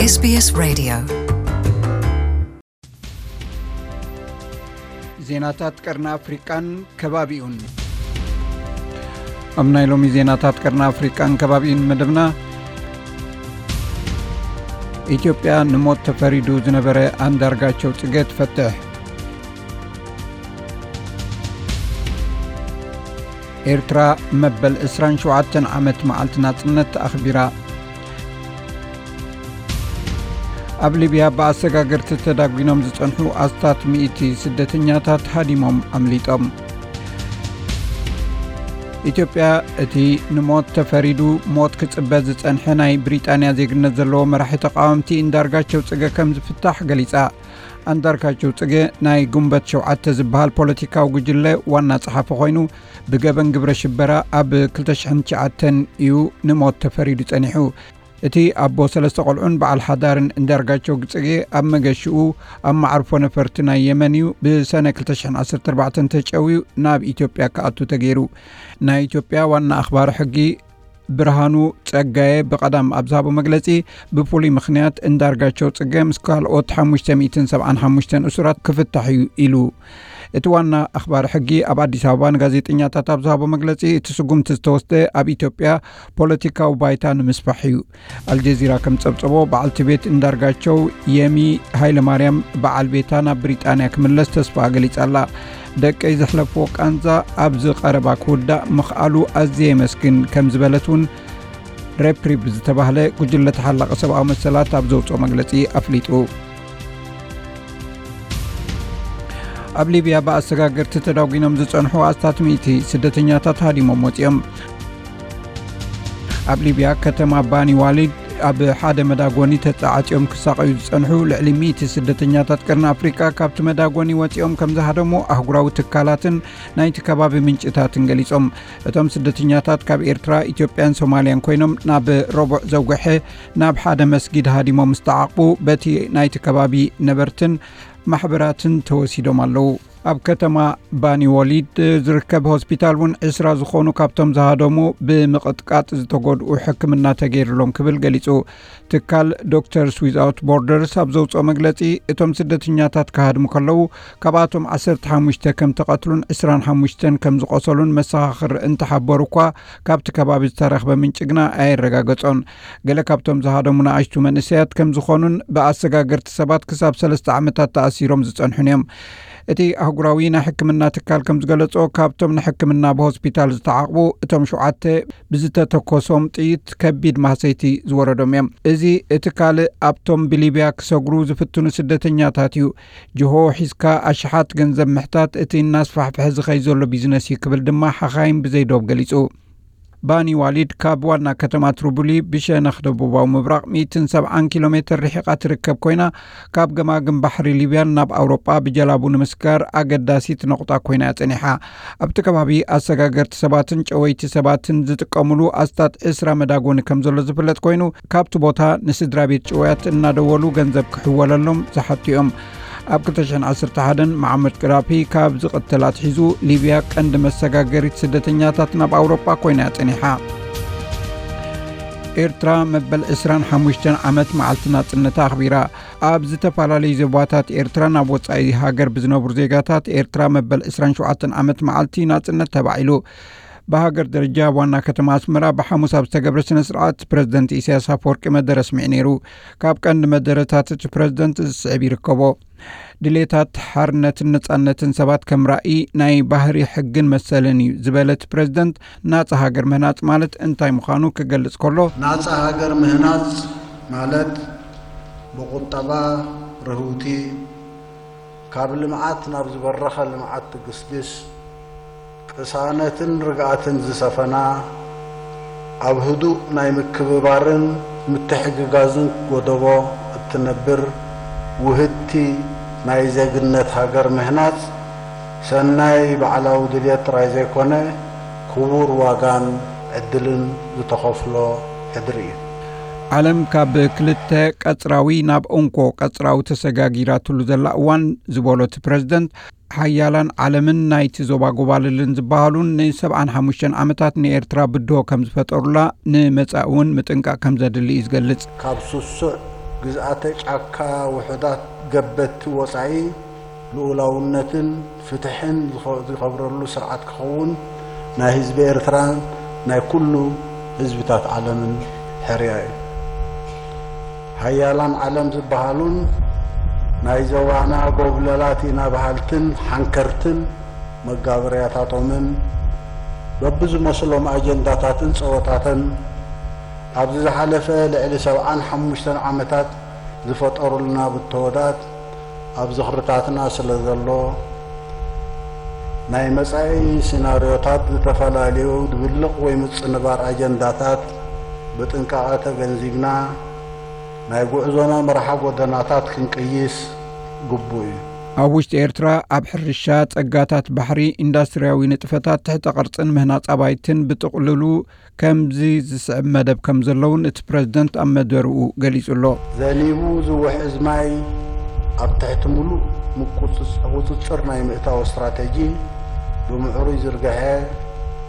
SBS Radio. ዜናታት ቀርኒ ኣፍሪቃን ከባቢኡን። ኣብ ናይ ሎሚ ዜናታት ቀርኒ ኣፍሪቃን ከባቢኡን መደብና፣ ኢትዮጵያ ንሞት ተፈሪዱ ዝነበረ ኣንዳርጋቸው ጽጌ ትፈትሕ። ኤርትራ መበል ዕስራን ሸውዓተን ዓመት መዓልቲ ናጽነት ኣኽቢራ። ኣብ ሊብያ ብኣሰጋገርቲ ተዳጒኖም ዝጸንሑ ኣስታት ሚእቲ ስደተኛታት ሃዲሞም ኣምሊጦም። ኢትዮጵያ፣ እቲ ንሞት ተፈሪዱ ሞት ክጽበ ዝጸንሐ ናይ ብሪጣንያ ዜግነት ዘለዎ መራሒ ተቃወምቲ እንዳርጋቸው ጽገ ከም ዝፍታሕ ገሊጻ። ኣንዳርጋቸው ጽገ ናይ ጉንበት ሸውዓተ ዝበሃል ፖለቲካዊ ጉጅለ ዋና ጸሓፊ ኮይኑ፣ ብገበን ግብረ ሽበራ ኣብ ክልተ ሽሕን ትሽዓተን እዩ ንሞት ተፈሪዱ ጸኒሑ። እቲ ኣቦ ሰለስተ ቆልዑን በዓል ሓዳርን እንዳርጋቸው ጽጌ ኣብ መገሽኡ ኣብ መዓርፎ ነፈርቲ ናይ የመን እዩ ብሰነ ክልተ ሽሕን ዓሰርተ ኣርባዕተን ተጨውዩ ናብ ኢትዮጵያ ክኣቱ ተገይሩ። ናይ ኢትዮጵያ ዋና ኣኽባሪ ሕጊ ብርሃኑ ጸጋየ ብቐዳም ኣብ ዝሃቦ መግለጺ፣ ብፍሉይ ምኽንያት እንዳርጋቸው ጽገ ምስ ካልኦት ሓሙሽተ ሚእትን ሰብዓን ሓሙሽተን እሱራት ክፍታሕ እዩ ኢሉ። እቲ ዋና ኣኽባሪ ሕጊ ኣብ ኣዲስ ኣበባ ንጋዜጠኛታት ኣብ ዝሃቦ መግለጺ፣ እቲ ስጉምቲ ዝተወስደ ኣብ ኢትዮጵያ ፖለቲካዊ ባይታ ንምስፋሕ እዩ። ኣልጀዚራ ከም ጸብጸቦ፣ በዓልቲ ቤት እንዳርጋቸው የሚ ሃይለማርያም በዓል ቤታ ናብ ብሪጣንያ ክምለስ ተስፋ ገሊጻ ኣላ። ደቀይ ዘሕለፍዎ ቃንዛ ኣብዚ ቀረባ ክውዳእ ምኽኣሉ ኣዝየ የመስግን ከም ዝበለት እውን ሬፕሪብ ዝተባህለ ጉጅለ ተሓላቒ ሰብኣዊ መሰላት ኣብ ዘውፅኦ መግለጺ ኣፍሊጡ። ኣብ ሊብያ ብኣሰጋገርቲ ተዳጒኖም ዝጸንሑ ኣስታት ሚእቲ ስደተኛታት ሃዲሞም ወጺኦም። ኣብ ሊብያ ከተማ ባኒ ዋሊድ ኣብ ሓደ መዳጎኒ ተጻዓጺኦም ክሳቐዩ ዝጸንሑ ልዕሊ ሚእቲ ስደተኛታት ቀርኒ ኣፍሪቃ ካብቲ መዳጎኒ ወጺኦም ከም ዝሃደሙ ኣህጉራዊ ትካላትን ናይቲ ከባቢ ምንጭታትን ገሊጾም። እቶም ስደተኛታት ካብ ኤርትራ፣ ኢትዮጵያን ሶማልያን ኮይኖም ናብ ረቡዕ ዘውግሐ ናብ ሓደ መስጊድ ሃዲሞም ምስ ተዓቕቡ በቲ ናይቲ ከባቢ ነበርትን ማሕበራትን ተወሲዶም ኣለዉ። ኣብ ከተማ ባኒ ወሊድ ዝርከብ ሆስፒታል እውን ዕስራ ዝኾኑ ካብቶም ዝሃደሙ ብምቕጥቃጥ ዝተጎድኡ ሕክምና ተገይሩሎም ክብል ገሊጹ። ትካል ዶክተርስ ዊዝኣውት ቦርደርስ ኣብ ዘውፅኦ መግለፂ፣ እቶም ስደተኛታት ክሃድሙ ከለዉ ካብኣቶም ዓሰርተ ሓሙሽተ ከም ተቐትሉን ዕስራን ሓሙሽተን ከም ዝቆሰሉን መሰኻኽር እንተሓበሩ እኳ፣ ካብቲ ከባቢ ዝተረኽበ ምንጪ ግና ኣየረጋገጾን። ገለ ካብቶም ዝሃደሙ ንኣሽቱ መንእሰያት ከም ዝኾኑን ብኣሰጋገርቲ ሰባት ክሳብ ሰለስተ ዓመታት ተኣሲሮም ዝጸንሑን እዮም። እቲ ኣህጉራዊ ናይ ሕክምና ትካል ከም ዝገለጾ፣ ካብቶም ንሕክምና ብሆስፒታል ዝተዓቕቡ፣ እቶም ሸውዓተ ብዝተተኮሶም ጥይት ከቢድ ማህሰይቲ ዝወረዶም እዮም። እዚ እቲ ካልእ ኣብቶም ብሊብያ ክሰግሩ ዝፍትኑ ስደተኛታት እዩ። ጅሆ ሒዝካ ኣሽሓት ገንዘብ ምሕታት እቲ እናስፋሕፍሐ ዝኸይ ዘሎ ቢዝነስ እዩ ክብል ድማ ሓኻይም ብዘይዶብ ገሊጹ። ባኒ ዋሊድ ካብ ዋና ከተማ ትሪቡሊ ብሸነኽ ደቡባዊ ምብራቕ ሚእትን ሰብዓን ኪሎ ሜትር ርሒቓ ትርከብ ኮይና፣ ካብ ገማግም ባሕሪ ሊብያን ናብ ኣውሮጳ ብጀላቡ ንምስጋር ኣገዳሲት ነቑጣ ኮይና እያ ጸኒሓ። ኣብቲ ከባቢ ኣሰጋገርቲ ሰባትን ጨወይቲ ሰባትን ዝጥቀሙሉ ኣስታት ዕስራ መዳጎኒ ከም ዘሎ ዝፍለጥ ኮይኑ፣ ካብቲ ቦታ ንስድራ ቤት ጭውያት እናደወሉ ገንዘብ ክሕወለሎም ዝሓቱ እዮም። ኣብ ክልተ ሽሕን ዓሰርተ ሓደን መዓመር ቀዳፊ ካብ ዝቕተል ኣትሒዙ፣ ሊብያ ቀንዲ መሰጋገሪት ስደተኛታት ናብ ኣውሮጳ ኮይና እያ ጸኒሓ። ኤርትራ መበል ዕስራን ሓሙሽተን ዓመት መዓልቲ ናጽነታ ኣኽቢራ። ኣብ ዝተፈላለዩ ዞባታት ኤርትራ ናብ ወጻኢ ሃገር ብዝነብሩ ዜጋታት ኤርትራ መበል ዕስራን ሸውዓተን ዓመት መዓልቲ ናጽነት ተባዒሉ። ብሃገር ደረጃ ኣብ ዋና ከተማ ኣስመራ ብሓሙስ ኣብ ዝተገብረ ስነ ስርዓት ፕረዚደንት ኢሳያስ ኣፈወርቂ መደረ ኣስሚዑ ነይሩ። ካብ ቀንዲ መደረታት እቲ ፕረዚደንት ዝስዕብ ይርከቦ። ድሌታት ሓርነትን ነጻነትን ሰባት ከም ራእይ ናይ ባህሪ ሕግን መሰልን እዩ ዝበለ እቲ ፕረዚደንት፣ ናጻ ሃገር ምህናጽ ማለት እንታይ ምዃኑ ክገልጽ ከሎ፣ ናጻ ሃገር ምህናጽ ማለት ብቁጠባ ርህውቲ፣ ካብ ልምዓት ናብ ዝበረኸ ልምዓት ትግስግስ፣ ቅሳነትን ርግኣትን ዝሰፈና፣ ኣብ ህዱእ ናይ ምክብባርን ምትሕግጋዝን ጎደቦ እትነብር ውህድቲ ናይ ዜግነት ሃገር ምህናጽ፣ ሰናይ ባዕላዊ ድልየት ጥራይ ዘይኮነ፣ ክቡር ዋጋን ዕድልን ዝተኸፍሎ ሕድሪ እዩ። ዓለም ካብ ክልተ ቀጽራዊ ናብ እንኮ ቀጽራዊ ተሰጋጊራትሉ ዘላ እዋን ዝበሎ እቲ ፕረዚደንት፣ ሓያላን ዓለምን ናይቲ ዞባ ጎባልልን ዝበሃሉን ንሰብዓን ሓሙሽተን ዓመታት ንኤርትራ ብድሆ ከም ዝፈጠሩላ ንመጻኢ እውን ምጥንቃቕ ከም ዘድሊ እዩ ዝገልጽ። ካብ ስሱዕ ግዝኣተ ጫካ ውሑዳት ገበቲ ወጻኢ ልኡላውነትን ፍትሕን ዝኸ-፣ ዝኸብረሉ ስርዓት ክኸውን ናይ ህዝቢ ኤርትራን ናይ ኩሉ ህዝብታት ዓለምን ሕርያ እዩ። ሃያላን ዓለም ዝበሃሉን ናይ ዘዋና ጎብለላት ኢና በሃልትን ሓንከርትን መጋበርያታቶምን በብዝመስሎም ኣጀንዳታትን ጸወታተን ኣብዚ ዝሓለፈ ልዕሊ ሰብዓን ሓሙሽተን ዓመታት ዝፈጠሩልና ብተወዳት ኣብ ዝኽርታትና ስለ ዘሎ፣ ናይ መጻኢ ሲናርዮታት ዝተፈላለዩ ድብልቕ ወይ ምጽንባር ኣጀንዳታት ብጥንቃቐ ተገንዚብና፣ ናይ ጉዕዞና መርሓ ጎደናታት ክንቅይስ ግቡእ እዩ። ኣብ ውሽጢ ኤርትራ ኣብ ሕርሻ፣ ጸጋታት ባሕሪ፣ ኢንዳስትርያዊ ንጥፈታት፣ ትሕተ ቅርጽን ምህናጽ ኣባይትን ብጥቕልሉ ከምዚ ዝስዕብ መደብ ከም ዘለውን እቲ ፕረዚደንት ኣብ መደርኡ ገሊጹ ኣሎ። ዘኒቡ ዝውሕዝ ማይ ኣብ ትሕቲ ምሉእ ምቁጽጽ-፣ ቁጽጽር ናይ ምእታው ስትራተጂ ብምዕሩይ ዝርግሐ፣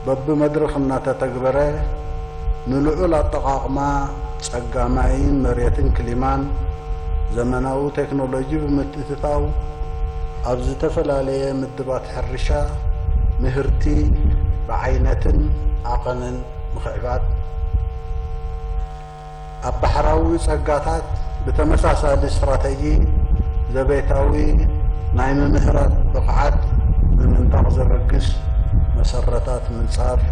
በብመድረኽ እናተተግበረ፣ ንልዑል ኣጠቓቕማ ጸጋ ማይን መሬትን ክሊማን ዘመናዊ ቴክኖሎጂ ብምትእትታው፣ ኣብ ዝተፈላለየ ምድባት ሕርሻ ምህርቲ ብዓይነትን ዓቐንን ምኽዕባት፣ ኣብ ባሕራዊ ጸጋታት ብተመሳሳሊ ስትራተጂ ዘቤታዊ ናይ ምምህራት ብቕዓት ንምንጣቕ ዘበግስ መሰረታት ምንጻፍ፣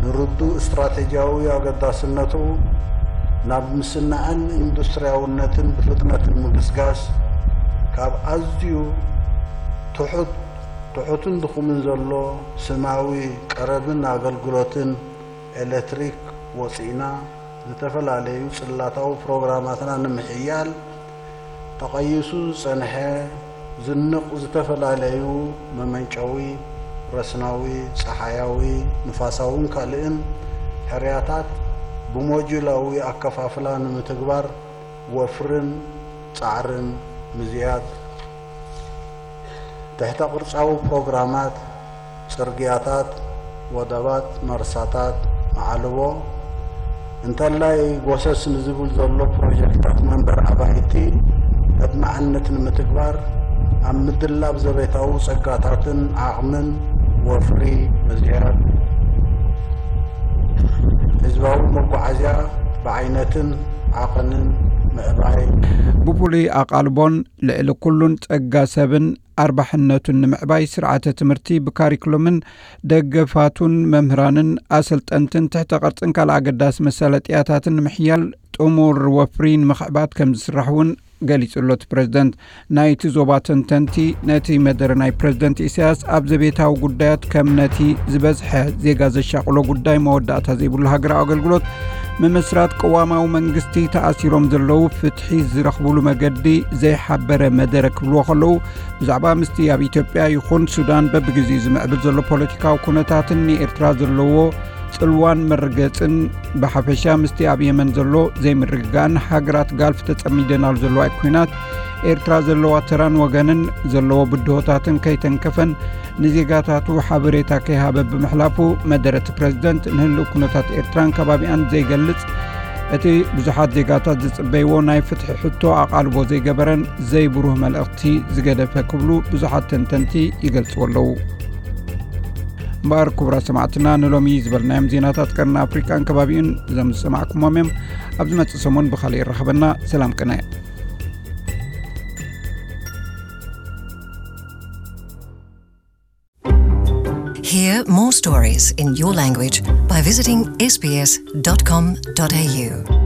ንርዱእ ስትራተጂያዊ ኣገዳስነቱ ናብ ምስናዕን ኢንዱስትርያውነትን ብፍጥነት ንምግስጋስ፣ ካብ ኣዝዩ ትሑት፣ ትሑትን ድኹምን ዘሎ ስማዊ ቀረብን ኣገልግሎትን ኤሌክትሪክ ወጺእና፣ ዝተፈላለዩ ጽላታዊ ፕሮግራማትና ንምሕያል ተቐይሱ ዝጸንሐ ዝንቕ ዝተፈላለዩ መመንጨዊ ረስናዊ፣ ጸሓያዊ፣ ንፋሳውን ካልእን ሕርያታት ብሞጁላዊ ኣከፋፍላ ንምትግባር ወፍርን ጻዕርን ምዝያድ፣ ትሕተ ቅርጻዊ ፕሮግራማት፣ ጽርግያታት፣ ወደባት፣ መርሳታት፣ መዓልቦ፣ እንተላይ ጎሰስ ንዝብል ዘሎ ፕሮጀክታት መንበሪ ኣባይቲ ኣድማዕነት ንምትግባር ኣብ ምድላብ ዘቤታዊ ጸጋታትን ዓቕምን ወፍሪ ምዝያድ፣ ህዝባዊ መጓዓዝያ ብዓይነትን ዓቐንን ምዕባይ። ብፍሉይ ኣቓልቦን ልዕሊ ኩሉን ጸጋ ሰብን ኣርባሕነቱን ንምዕባይ ስርዓተ ትምህርቲ ብካሪክሎምን ደገፋቱን መምህራንን ኣሰልጠንትን ትሕተ ቅርጽን ካልእ ኣገዳሲ መሳለጥያታትን ንምሕያል ጥሙር ወፍሪ ንምኽዕባት ከም ዝስራሕ እውን ገሊጹ ኣሎ እቲ ፕረዚደንት። ናይቲ ዞባ ተንተንቲ ነቲ መደረ ናይ ፕረዚደንት ኢሳያስ ኣብ ዘቤታዊ ጉዳያት ከም ነቲ ዝበዝሐ ዜጋ ዘሻቕሎ ጉዳይ መወዳእታ ዘይብሉ ሃገራዊ ኣገልግሎት ምምስራት ቅዋማዊ መንግስቲ ተኣሲሮም ዘለዉ ፍትሒ ዝረኽብሉ መገዲ ዘይሓበረ መደረ ክብልዎ ከለዉ፣ ብዛዕባ ምስቲ ኣብ ኢትዮጵያ ይኹን ሱዳን በብግዜኡ ዝምዕብል ዘሎ ፖለቲካዊ ኩነታትን ንኤርትራ ዘለዎ ጽልዋን መርገጽን፣ ብሓፈሻ ምስቲ ኣብ የመን ዘሎ ዘይምርግጋእን ሃገራት ጋልፍ ተጸሚደናሉ ዘለዋ ኩናት ኤርትራ ዘለዋ ተራን ወገንን ዘለዎ ብድሆታትን ከይተንከፈን ንዜጋታቱ ሓበሬታ ከይሃበ ብምሕላፉ፣ መደረ እቲ ፕረዚደንት ንህልው ኩነታት ኤርትራን ከባቢኣን ዘይገልጽ፣ እቲ ብዙሓት ዜጋታት ዝጽበይዎ ናይ ፍትሒ ሕቶ ኣቓልቦ ዘይገበረን ዘይብሩህ መልእኽቲ ዝገደፈ ክብሉ ብዙሓት ተንተንቲ ይገልጽዎ ኣለዉ። እምበኣር ክቡራት ሰማዕትና፣ ንሎሚ ዝበልናዮም ዜናታት ቀርኒ ኣፍሪቃን ከባቢኡን እዞም ዝሰማዕኩሞም እዮም። ኣብ ዝመጽእ ሰሙን ብኻልእ ይራኸበና። ሰላም ቅነ። Hear more stories in your language by visiting S B S dot com dot A U.